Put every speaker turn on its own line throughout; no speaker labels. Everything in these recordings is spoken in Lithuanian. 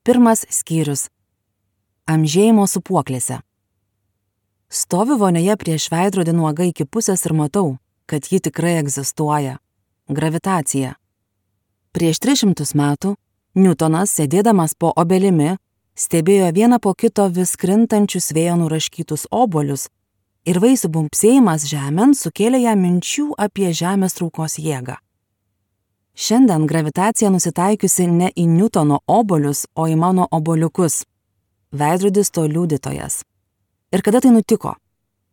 Pirmas skyrius. Amžėjimo sūpuoklėse. Stoviu vonioje prieš veidrodį nuoga iki pusės ir matau, kad ji tikrai egzistuoja. Gravitacija. Prieš 300 metų Niutonas, sėdėdamas po obelimi, stebėjo vieną po kito vis krintančius vėjo nuraškytus obuolius ir vaisių bumbsėjimas žemėn sukėlė jam minčių apie žemės traukos jėgą. Šiandien gravitacija nusitaikiusi ne į Niutono obuolius, o į mano obuoliukus. Veidrodis to liudytojas. Ir kada tai nutiko?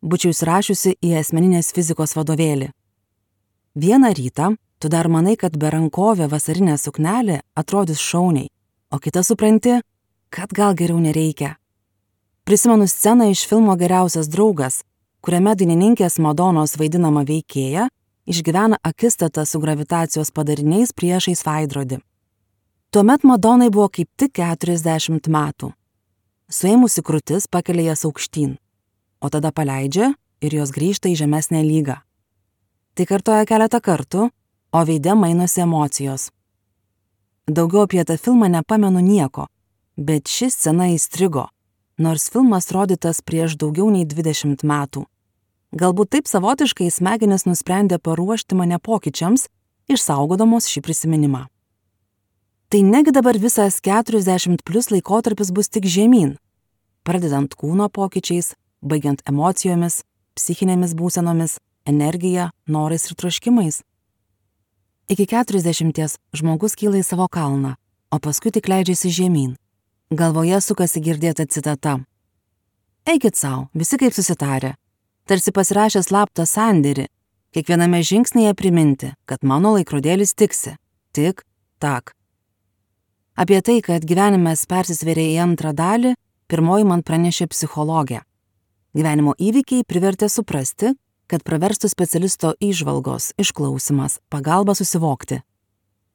Būčiau įsirašiusi į asmeninės fizikos vadovėlį. Vieną rytą tu dar manai, kad berankovė vasarinė suknelė atrodys šauniai, o kitą supranti, kad gal geriau nereikia. Prisimenu sceną iš filmo Geriausias draugas, kuriame dainininkės Madonos vaidinama veikėja išgyvena akistatą su gravitacijos padariniais priešais veidrodį. Tuomet Madonai buvo kaip tik 40 metų. Suėmusi krūtis pakelia jas aukštyn, o tada paleidžia ir jos grįžta į žemesnę lygą. Tai kartoja keletą kartų, o veide mainosi emocijos. Daugiau apie tą filmą nepamenu nieko, bet ši scena įstrigo, nors filmas rodytas prieš daugiau nei 20 metų. Galbūt taip savotiškai smegenys nusprendė paruošti mane pokyčiams, išsaugodamos šį prisiminimą. Tai negi dabar visas 40+ laikotarpis bus tik žemyn, pradedant kūno pokyčiais, baigiant emocijomis, psichinėmis būsenomis, energija, norais ir troškimais. Iki 40 žmogus kyla į savo kalną, o paskui tik leidžiasi žemyn. Galvoje sukasi girdėta citata. Eikit sau, visi kaip susitarę. Tarsi pasirašė slaptą sandėrį, kiekviename žingsnėje priminti, kad mano laikrodėlis tiksi. Tik, tak. Apie tai, kad gyvenimas persisvėrė į antrą dalį, pirmoji man pranešė psichologė. Gyvenimo įvykiai privertė suprasti, kad praverstų specialisto įžvalgos, išklausimas, pagalba susivokti.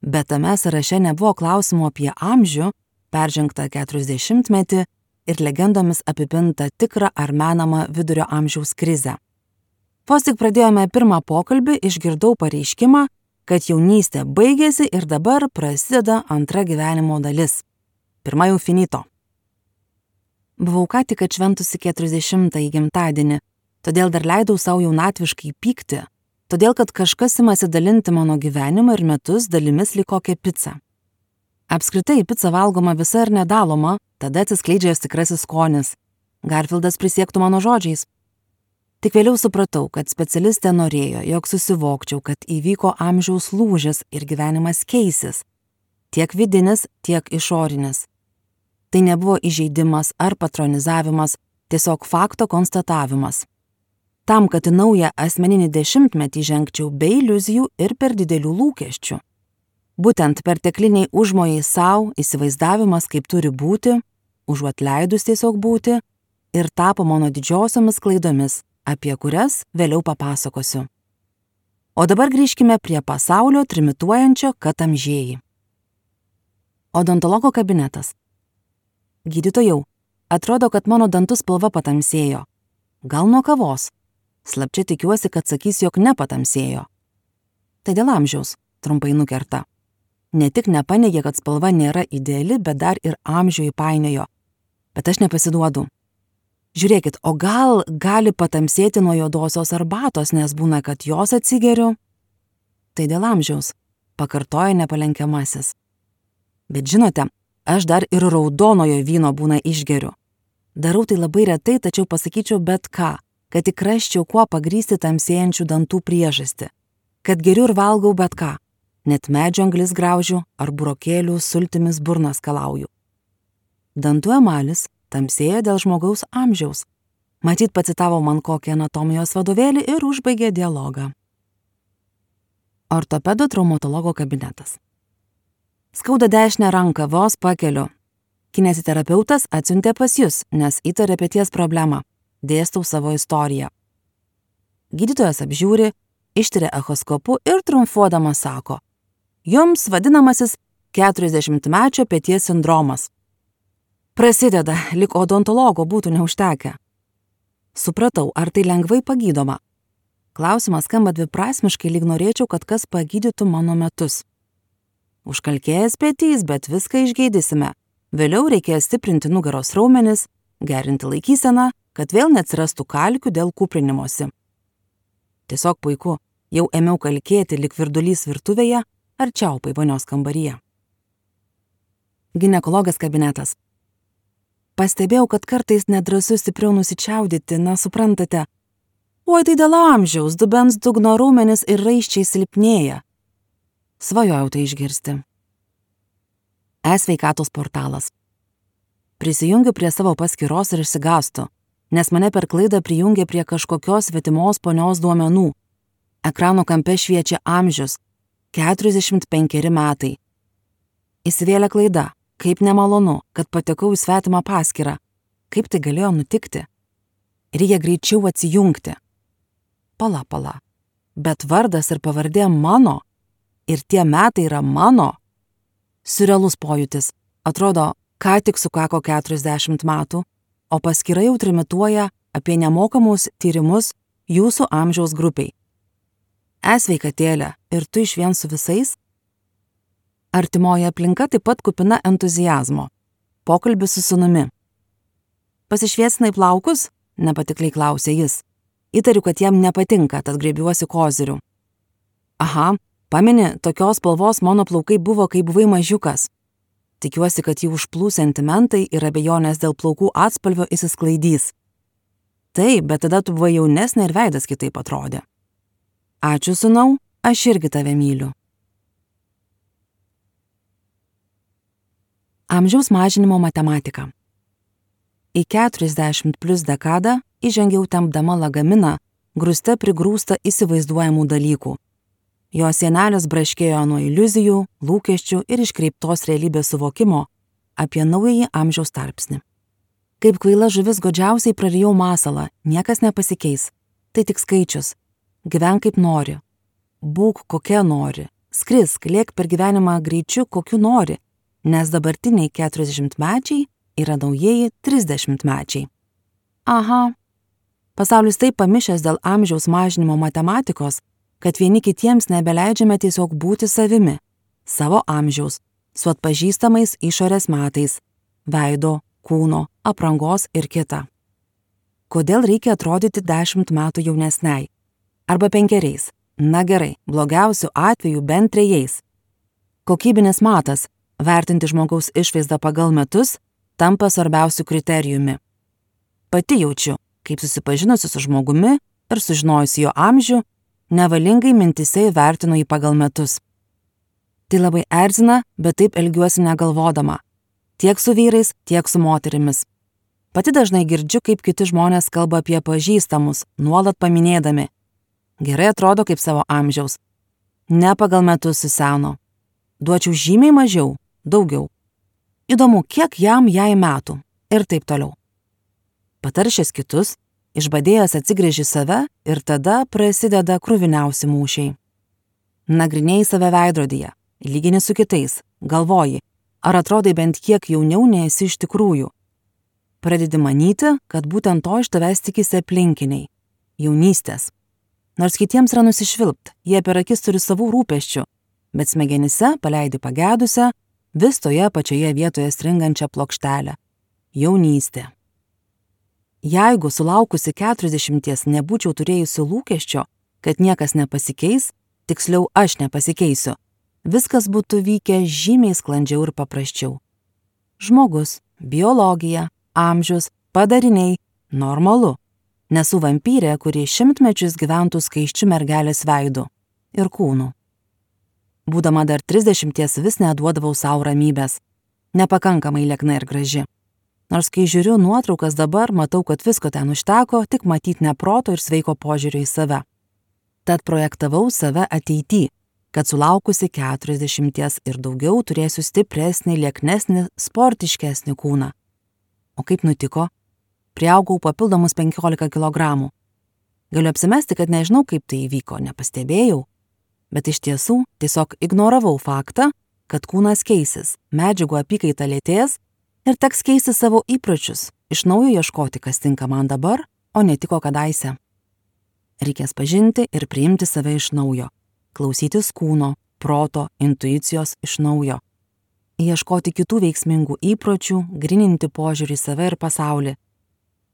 Bet tame sąraše nebuvo klausimų apie amžių, peržengtą 40-metį ir legendomis apipintą tikrą ar menamą vidurio amžiaus krizę. Vos tik pradėjome pirmą pokalbį, išgirdau pareiškimą, kad jaunystė baigėsi ir dabar prasideda antra gyvenimo dalis. Pirma jau finito. Buvau ką tik atšventusi 40-ąjį gimtadienį, todėl dar leidau savo jaunatviškai pykti, todėl kad kažkas imasi dalinti mano gyvenimą ir metus dalimis lyg kokią picą. Apskritai, pica valgoma visa ir nedaloma, tada atsiskleidžia jos tikrasis skonis. Garfieldas prisiektų mano žodžiais. Tik vėliau supratau, kad specialistė norėjo, jog susivokčiau, kad įvyko amžiaus lūžis ir gyvenimas keisis. Tiek vidinis, tiek išorinis. Tai nebuvo įžeidimas ar patronizavimas, tiesiog fakto konstatavimas. Tam, kad į naują asmeninį 10-metį žengčiau be iliuzijų ir per didelių lūkesčių. Būtent pertekliniai užmojai savo, įsivaizdavimas, kaip turi būti, užuot leidus tiesiog būti, ir tapo mano didžiosiomis klaidomis, apie kurias vėliau papasakosiu. O dabar grįžkime prie pasaulio trimituojančio, kad amžėjai. Odontologo kabinetas. Gydytojau, atrodo, kad mano dantų spalva patamsėjo. Gal nuo kavos? Slapčia tikiuosi, kad sakys, jog nepatamsėjo. Tai dėl amžiaus, trumpai nukerta. Ne tik nepaneigė, kad spalva nėra ideali, bet dar ir amžių įpainiojo. Bet aš nepasiduodu. Žiūrėkit, o gal gali patamsėti nuo juodosios arbatos, nes būna, kad jos atsigeriu? Tai dėl amžiaus, pakartoja nepalenkiamasis. Bet žinote, aš dar ir raudonojo vyno būna išgeriu. Darau tai labai retai, tačiau pasakyčiau bet ką, kad tik rasčiau kuo pagrįsti tamsėjančių dantų priežastį. Kad geriu ir valgau bet ką. Net medžio anglis graužiu ar burokėlių sultimis burną skalauju. Dantų emalis tamsėja dėl žmogaus amžiaus. Matyt, pacitavo man kokį anatomijos vadovėlį ir užbaigė dialogą. Ortopedo traumatologo kabinetas. Skauda dešinę ranką, vos pakeliu. Kinesiterapeutas atsiuntė pas jus, nes įtarė peties problemą. Dėstau savo istoriją. Gydytojas apžiūri, ištiria echoskopu ir triumfuodamas sako: Jums vadinamasis 40-mečio peties sindromas. Prasideda, lyg odontologo būtų neužtekę. Supratau, ar tai lengvai pagydoma. Klausimas skamba dviprasmiškai, lyg norėčiau, kad kas pagydytų mano metus. Užkalkėjęs petys, bet viską išgydysime. Vėliau reikėjo stiprinti nugaros raumenis, gerinti laikyseną, kad vėl neatsirastų kalkių dėl kūprinimosi. Tiesiog puiku, jau ėmiau kalkėti lyg virdulys virtuvėje ar čiaupai vonios kambaryje. Ginekologas kabinetas. Pastebėjau, kad kartais nedrąsu stipriau nusičiaudyti, na suprantate. Oi, tai dėl amžiaus, dubens dugno raumenis ir raiščiai silpnėja. Svajojau tai išgirsti. E-sveikatos portalas. Prisijungiu prie savo paskyros ir išsigąstu, nes mane per klaidą prijungė prie kažkokios svetimos ponios duomenų. Ekrano kampe šviečia amžius – 45 metai. Įsivėlė klaida. Kaip nemalonu, kad patekau į svetimą paskyrą. Kaip tai galėjo nutikti? Reikia greičiau atsijungti. Pala. Bet vardas ir pavardė mano. Ir tie metai yra mano. Siurrealus pojūtis. Atrodo, ką tik sukako 40 metų, o paskyra jau trimituoja apie nemokamus tyrimus jūsų amžiaus grupiai. E-sveikatėlė, ir tu išvien su visais? Artimoji aplinka taip pat kupina entuziazmo. Pokalbis su sūnumi. Pasišviesinai plaukus? Nepatikliai klausė jis. Įtariu, kad jam nepatinka, tad griebiuosi kozirių. Aha, pameni, tokios spalvos mano plaukai buvo, kai buvai mažiukas. Tikiuosi, kad jį užplūs sentimentai ir abejonės dėl plaukų atspalvio išsisklaidys. Taip, bet tada tu buvai jaunesnė ir veidas kitaip atrodė. Ačiū, sūnau, aš irgi tave myliu. Amžiaus mažinimo matematika. Į 40+ dekadą įžengiau tempdama lagaminą, grūste prigrūsta įsivaizduojamų dalykų. Jo sienelės braškėjo nuo iliuzijų, lūkesčių ir iškreiptos realybės suvokimo apie naująjį amžiaus tarpsnį. Kaip kvaila žuvis godžiausiai prarijau masalą, niekas nepasikeis. Tai tik skaičius. Gyvenk kaip nori. Būk kokia nori. Skrisk, lėk per gyvenimą greičiu, kokiu nori. Nes dabartiniai 40-mečiai yra naujieji 30-mečiai. Aha. Pasaulis taip pamišęs dėl amžiaus mažinimo matematikos, kad vieni kitiems nebeleidžiame tiesiog būti savimi, savo amžiaus, su atpažįstamais išorės metais, veido, kūno, aprangos ir kita. Kodėl reikia atrodyti 10 metų jaunesniai? Arba 5. Na gerai, blogiausiu atveju bent 3. Kokybinis matas, vertinti žmogaus išvaizdą pagal metus, tampa svarbiausiu kriterijumi. Pati jaučiu, kaip susipažinusi su žmogumi ir sužinojusi jo amžių, nevalingai mintise įvertinu jį pagal metus. Tai labai erzina, bet taip elgiuosi negalvodama. Tiek su vyrais, tiek su moterimis. Pati dažnai girdžiu, kaip kiti žmonės kalba apie pažįstamus, nuolat paminėdami. Gerai atrodo kaip savo amžiaus. Ne pagal metus suseno. Duočiau žymiai mažiau, daugiau. Įdomu, kiek jai metų. Ir taip toliau. Pataršęs kitus, išbadėjęs atsigręži save ir tada prasideda kruviniausi mūšiai. Nagrinėjai save veidrodyje, lygini su kitais, galvoji, ar atrodai bent kiek jauniau nei esi iš tikrųjų. Pradedi manyti, kad būtent to iš tavęs tikisi aplinkiniai. Jaunystės. Nors kitiems yra nusišvilpt, jie per akis turi savų rūpesčių, bet smegenyse paleidi pagedusią, vis toje pačioje vietoje stringančią plokštelę. Jaunystė. Jeigu sulaukusi 40 nebūčiau turėjusi lūkesčio, kad niekas nepasikeis, tiksliau aš nepasikeisiu, viskas būtų vykę žymiai sklandžiau ir paprasčiau. Žmogus, biologija, amžius, padariniai – normalu. Nesu vampyrė, kuri 100 mečius gyventų skaisčiu mergelės veidu ir kūnu. Būdama dar 30 vis neduodavau savo ramybės. Nepakankamai liekna ir graži. Nors kai žiūriu nuotraukas dabar, matau, kad visko ten užteko, tik matyt neproto ir sveiko požiūrio į save. Tad projektavau save ateity, kad sulaukusi 40 ir daugiau turėsiu stipresnį, lieknesnį, sportiškesnį kūną. O kaip nutiko? Priaugau papildomus 15 kilogramų. Galiu apsimesti, kad nežinau, kaip tai įvyko, nepastebėjau. Bet iš tiesų tiesiog ignoravau faktą, kad kūnas keisis, medžiagų apykaita lėtės ir teks keisti savo įpročius, iš naujo ieškoti, kas tinka man dabar, o netiko kadaise. Reikės pažinti ir priimti save iš naujo, klausytis kūno, proto, intuicijos iš naujo. ieškoti kitų veiksmingų įpročių, gryninti požiūrį į save ir pasaulį.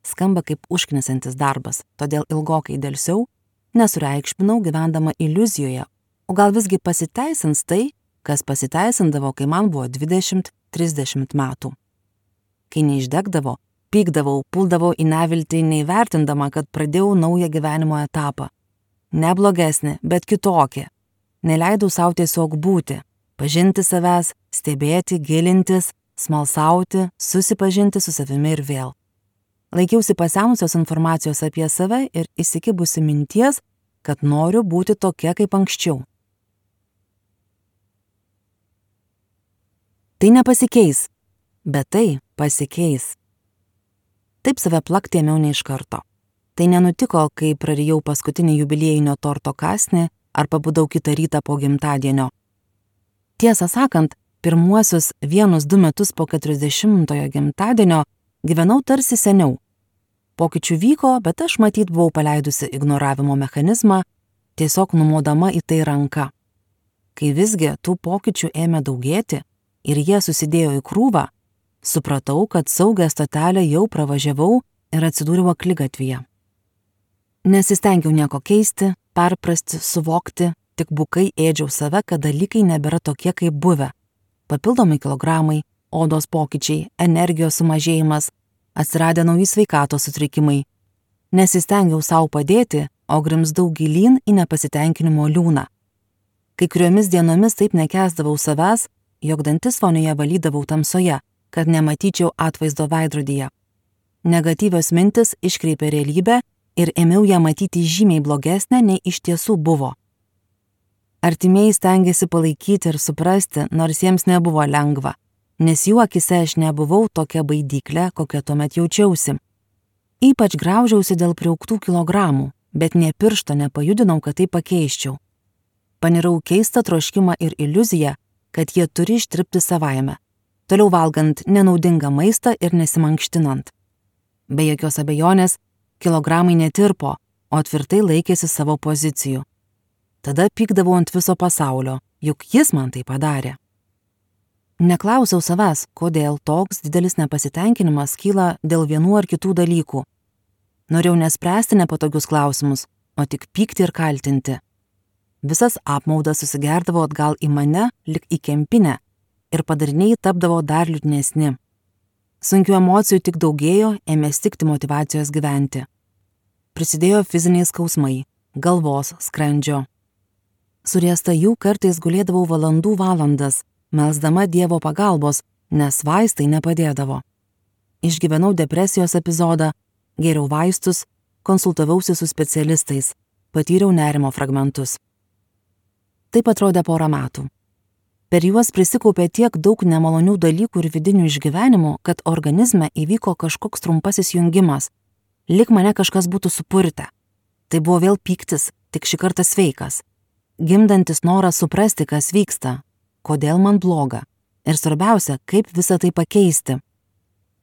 Skamba kaip užknisantis darbas, todėl ilgokai delsiau, nesureikšminau gyvendama iliuzijoje, o gal visgi pasiteisins tai, kas pasiteisindavo, kai man buvo 20-30 metų. Kai neišdegdavo, pykdavau, puldavau į neviltį, neįvertindama, kad pradėjau naują gyvenimo etapą. Ne blogesnį, bet kitokį. Neleidau savo tiesiog būti, pažinti savęs, stebėti, gilintis, smalsauti, susipažinti su savimi ir vėl. Laikiausi pasenusios informacijos apie save ir įsikibusi minties, kad noriu būti tokia kaip anksčiau. Tai nepasikeis, bet tai pasikeis. Taip save plakti ėmiau ne iš karto. Tai nenutiko, kai prarijau paskutinį jubiliejinio torto kąsnį ar pabudau kitą rytą po gimtadienio. Tiesą sakant, pirmuosius 1-2 metus po 40-ojo gimtadienio gyvenau tarsi seniau. Pokyčių vyko, bet aš matyt buvau paleidusi ignoravimo mechanizmą, tiesiog numodama į tai ranka. Kai visgi tų pokyčių ėmė daugėti ir jie susidėjo į krūvą, supratau, kad saugią stotelę jau pravažiavau ir atsidūriau akligatvyje. Nesistengiau nieko keisti, perprasti, suvokti, tik bukai ėdžiau save, kad dalykai nebėra tokie kaip buvę. Papildomi kilogramai, odos pokyčiai, energijos sumažėjimas, atsiradę nauji sveikatos sutrikimai. Nesistengiau savo padėti, o grimzdau gilyn į nepasitenkinimo liūną. Kai kuriomis dienomis taip nekęsdavau savęs, jog dantis vonioje valydavau tamsoje, kad nematyčiau atvaizdo veidrodyje. Negatyvios mintis iškreipė realybę ir ėmiau ją matyti žymiai blogesnę, nei iš tiesų buvo. Artimieji stengėsi palaikyti ir suprasti, nors jiems nebuvo lengva, nes jų akise aš nebuvau tokia baidyklė, kokia tuomet jaučiausi. Ypač graužiausi dėl priaugtų kilogramų, bet nė piršto nepajudinau, kad tai pakeiščiau. Panirau keistą troškimą ir iliuziją, kad jie turi ištirpti savaime, toliau valgant nenaudingą maistą ir nesimankštinant. Be jokios abejonės, kilogramai netirpo, o tvirtai laikėsi savo pozicijų. Tada pykdavau ant viso pasaulio, juk jis man tai padarė. Neklausiau savęs, kodėl toks didelis nepasitenkinimas kyla dėl vienų ar kitų dalykų. Norėjau nespręsti nepatogius klausimus, o tik pykti ir kaltinti. Visas apmaudas susigerdavo atgal į mane, lik į kempinę, ir padariniai tapdavo dar liūdnesni. Sunkių emocijų tik daugėjo, ėmė stigti motyvacijos gyventi. Prisidėjo fiziniai skausmai, galvos, skrandžio. Suriesta jų kartais gulėdavau valandas, melsdama Dievo pagalbos, nes vaistai nepadėdavo. Išgyvenau depresijos epizodą, gėriau vaistus, konsultavausi su specialistais, patyriau nerimo fragmentus. Taip atrodė 4 metų. Per juos prisikaupė tiek daug nemalonių dalykų ir vidinių išgyvenimų, kad organizme įvyko kažkoks trumpasis jungimas, lyg mane kažkas būtų supurtę. Tai buvo vėl pyktis, tik šį kartą sveikas. Gimdantis noras suprasti, kas vyksta, kodėl man bloga ir svarbiausia, kaip visą tai pakeisti.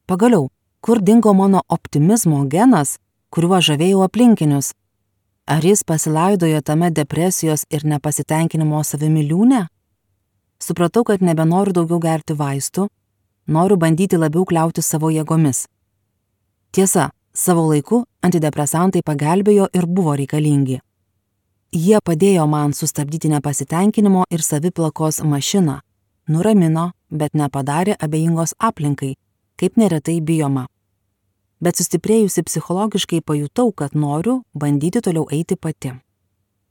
Pagaliau, kur dingo mano optimizmo genas, kuriuo žavėjau aplinkinius? Ar jis pasilaidojo tame depresijos ir nepasitenkinimo savimi liūne? Supratau, kad nebenoriu daugiau gerti vaistų, noriu bandyti labiau kliautis savo jėgomis. Tiesa, savo laiku antidepresantai pagelbėjo ir buvo reikalingi. Jie padėjo man sustabdyti nepasitenkinimo ir saviplakos mašiną, nuramino, bet nepadarė abejingos aplinkai, kaip neretai bijoma. Bet sustiprėjusi psichologiškai pajutau, kad noriu bandyti toliau eiti pati.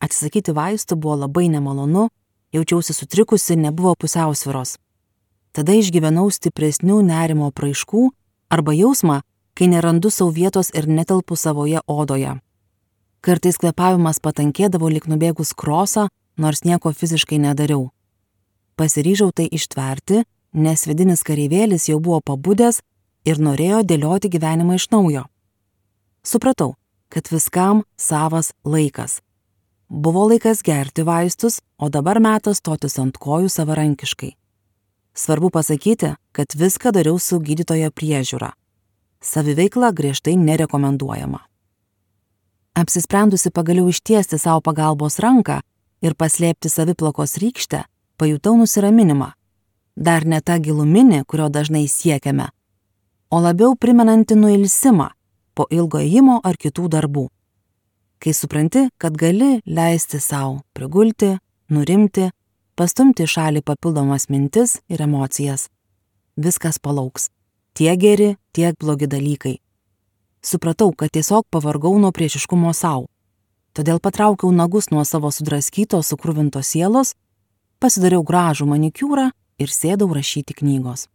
Atsisakyti vaistų buvo labai nemalonu, jaučiausi sutrikusi, nebuvo pusiausvyros. Tada išgyvenau stipresnių nerimo apraiškų arba jausmą, kai nerandu savo vietos ir netelpu savoje odoje. Kartais kvėpavimas patankėdavo lyg nubėgus krosą, nors nieko fiziškai nedariau. Pasiryžau tai ištverti, nes vidinis kareivėlis jau buvo pabudęs ir norėjo dėlioti gyvenimą iš naujo. Supratau, kad viskam savas laikas. Buvo laikas gerti vaistus, o dabar metas stotis ant kojų savarankiškai. Svarbu pasakyti, kad viską dariau su gydytojo priežiūra. Saviveikla griežtai nerekomenduojama. Apsisprendusi pagaliau ištiesti savo pagalbos ranką ir paslėpti saviplakos rykštę, pajutau nusiraminimą. dar ne ta giluminė, kurio dažnai siekiame, o labiau primenanti nuilsimą po ilgo ėjimo ar kitų darbų. Kai supranti, kad gali leisti sau prigulti, nurimti, pastumti į šalį papildomas mintis ir emocijas. Viskas palauks. Tiek geri, tiek blogi dalykai. Supratau, kad tiesiog pavargau nuo priešiškumo sau. Todėl patraukiau nagus nuo savo sudraskytos, sukruvintos sielos, pasidariau gražų manikiūrą ir sėdau rašyti knygos.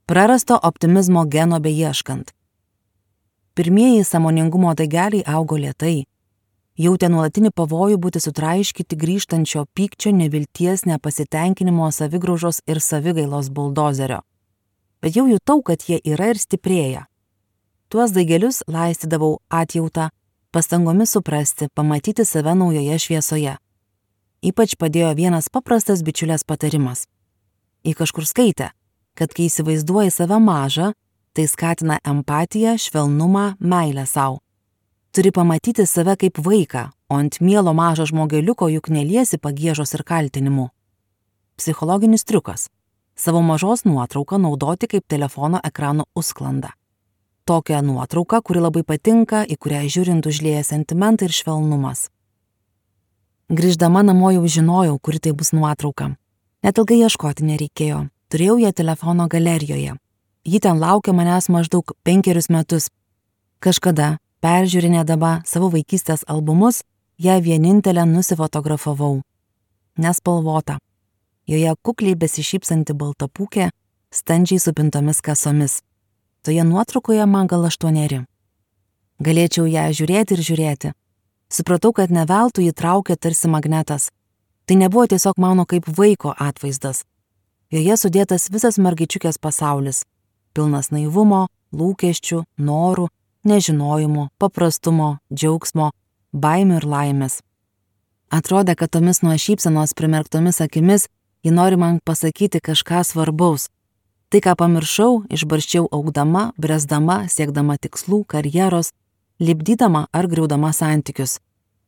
Prarasto optimizmo geno beieškant. Pirmieji sąmoningumo daigeliai augo lėtai. Jautė nuolatinį pavojų būti sutraiškyti grįžtančio pykčio, nevilties, nepasitenkinimo, savigraužos ir savigailos buldozerio. Bet jau jutau, kad jie yra ir stiprėja. Tuos daigelius laistydavau atjautą, pastangomis suprasti, pamatyti save naujoje šviesoje. Ypač padėjo vienas paprastas bičiulės patarimas. Ji kažkur skaitė, kad kai įsivaizduoji save mažą, tai skatina empatiją, švelnumą, meilę sau. Turi pamatyti save kaip vaiką, o ant mielo mažo žmogeliuko juk neliesi pagiežos ir kaltinimų. Psichologinis triukas. Savo mažos nuotrauką naudoti kaip telefono ekrano užsklandą. Tokią nuotrauką, kuri labai patinka, į kurią žiūrint užlieja sentimentai ir švelnumas. Grįždama namo jau žinojau, kuri tai bus nuotrauka. Net ilgai ieškoti nereikėjo. Turėjau ją telefono galerijoje. Ji ten laukė manęs maždaug 5 metus. Kažkada, peržiūrinėdama savo vaikystės albumus, ją vienintelę nusifotografavau. Nespalvota. Joje kukliai besišypsanti baltapūkė, standžiai supintomis kasomis. Toje nuotraukoje man gal 8. Galėčiau ją žiūrėti ir žiūrėti. Supratau, kad ne veltui jį traukė tarsi magnetas. Tai nebuvo tiesiog mano kaip vaiko atvaizdas. Joje sudėtas visas mergaičiukės pasaulis. Pilnas naivumo, lūkesčių, norų, nežinojimo, paprastumo, džiaugsmo, baimių ir laimės. Atrodė, kad tomis nuo šypsenos primerktomis akimis ji nori man pasakyti kažką svarbaus. Tai, ką pamiršau, išbarščiau augdama, bręsdama, siekdama tikslų, karjeros, lipdydama ar griaudama santykius.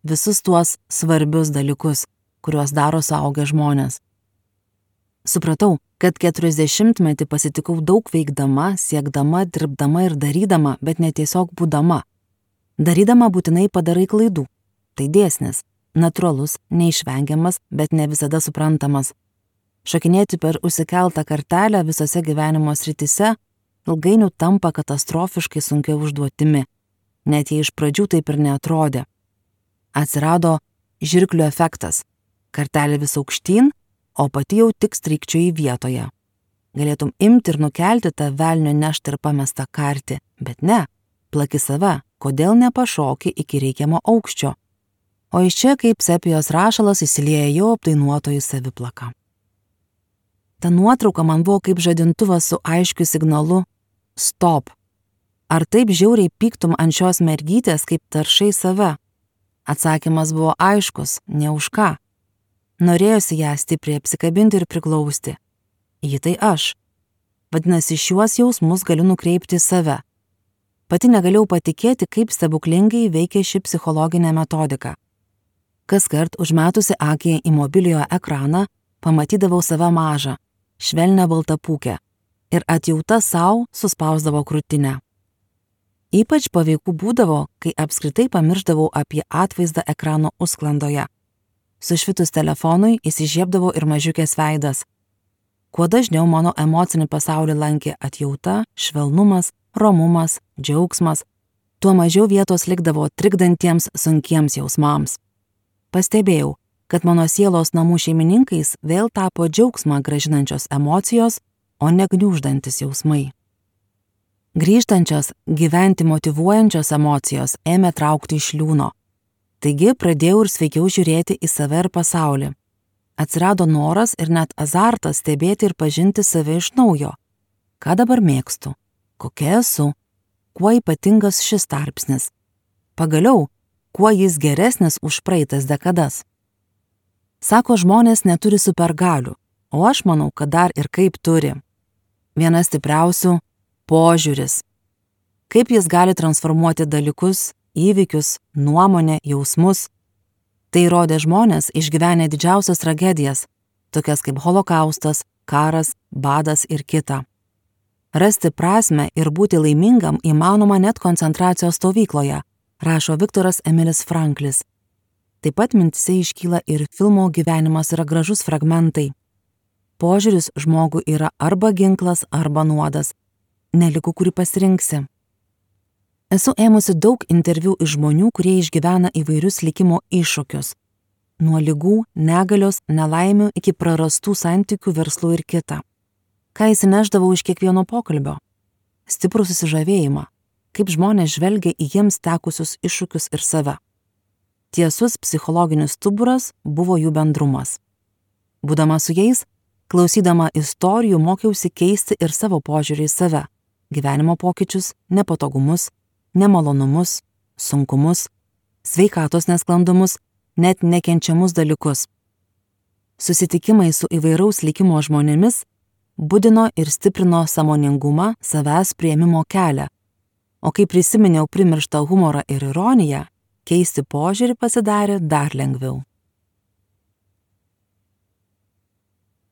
Visus tuos svarbius dalykus, kuriuos daro suaugę žmonės. Supratau, kad 40-metį pasitikau daug veikdama, siekdama, dirbdama ir darydama, bet ne tiesiog būdama. Darydama būtinai padarai klaidų. Tai dėsnis, natūralus, neišvengiamas, bet ne visada suprantamas. Šokinėti per užsikeltą kartelę visose gyvenimo srityse ilgainiui tampa katastrofiškai sunkia užduotimi, net jei iš pradžių taip ir neatrodė. Atsirado žirklių efektas. Kartelė vis aukštyn, o pati jau tik strykčioji vietoje. Galėtum imti ir nukelti tą velnio neštą ir pamestą kartį, bet ne, plaki save, kodėl nepašoki iki reikiamo aukščio. O iš čia kaip sepijos rašalas įsilieja jau apdainuotojų saviplaka. Ta nuotrauka man buvo kaip žadintuvas su aiškiu signalu stop. Ar taip žiauriai pyktum ant šios mergytės, kaip taršai save? Atsakymas buvo aiškus, ne už ką. Norėjosi ją stipriai apsikabinti ir priglausti. Ji tai aš. Vadinasi, šiuos jausmus galiu nukreipti į save. Pati negalėjau patikėti, kaip stebuklingai veikia ši psichologinė metodika. Kaskart užmetusi akį į mobiliojo ekraną, pamatydavau save mažą, švelnią baltapūkę ir atjauta sau suspausdavo krūtinę. Ypač paveiku būdavo, kai apskritai pamiršdavau apie atvaizdą ekrano užsklandoje. Sušvitus telefonui įsižiebdavo ir mažiukės veidas. Kuo dažniau mano emocinį pasaulį lankė atjauta, švelnumas, romumas, džiaugsmas, tuo mažiau vietos likdavo trikdantiems sunkiems jausmams. Pastebėjau, kad mano sielos namų šeimininkais vėl tapo džiaugsmą gražinančios emocijos, o ne gniuždantis jausmai. Grįžtančios, gyventi motyvuojančios emocijos ėmė traukti iš liūno. Taigi pradėjau ir sveikiau žiūrėti į save ir pasaulį. Atsirado noras ir net azartas stebėti ir pažinti save iš naujo. Ką dabar mėgstu? Kokia esu? Kuo ypatingas šis tarpsnis? Pagaliau, kuo jis geresnis už praeitas dekadas? Sako, žmonės neturi supergalių, o aš manau, kad dar ir kaip turi. Viena stipriausių – požiūris. Kaip jis gali transformuoti dalykus, įvykius, nuomonę, jausmus. Tai rodė žmonės išgyvenę didžiausias tragedijas, tokias kaip holokaustas, karas, badas ir kita. Rasti prasmę ir būti laimingam įmanoma net koncentracijos stovykloje, rašo Viktoras Emilis Franklis. Taip pat mintise iškyla ir filmo Gyvenimas yra gražus fragmentai. Požiūris žmogų yra arba ginklas, arba nuodas. Neliku, kurį pasirinksi. Esu ėmusi daug interviu iš žmonių, kurie išgyvena įvairius likimo iššūkius. Nuo ligų, negalios, nelaimių iki prarastų santykių, verslų ir kita. Ką įsineždavau iš kiekvieno pokalbio? Stiprų susižavėjimą, kaip žmonės žvelgia į jiems tekusius iššūkius ir save. Tiesus psichologinis stuburas buvo jų bendrumas. Būdama su jais, klausydama istorijų, mokiausi keisti ir savo požiūrį į save, gyvenimo pokyčius, nepatogumus, nemalonumus, sunkumus, sveikatos nesklandumus, net nekenčiamus dalykus. Susitikimai su įvairaus likimo žmonėmis budino ir stiprino sąmoningumą, savęs priėmimo kelią, o kai prisiminiau primirštą humorą ir ironiją, keisti požiūrį pasidarė dar lengviau.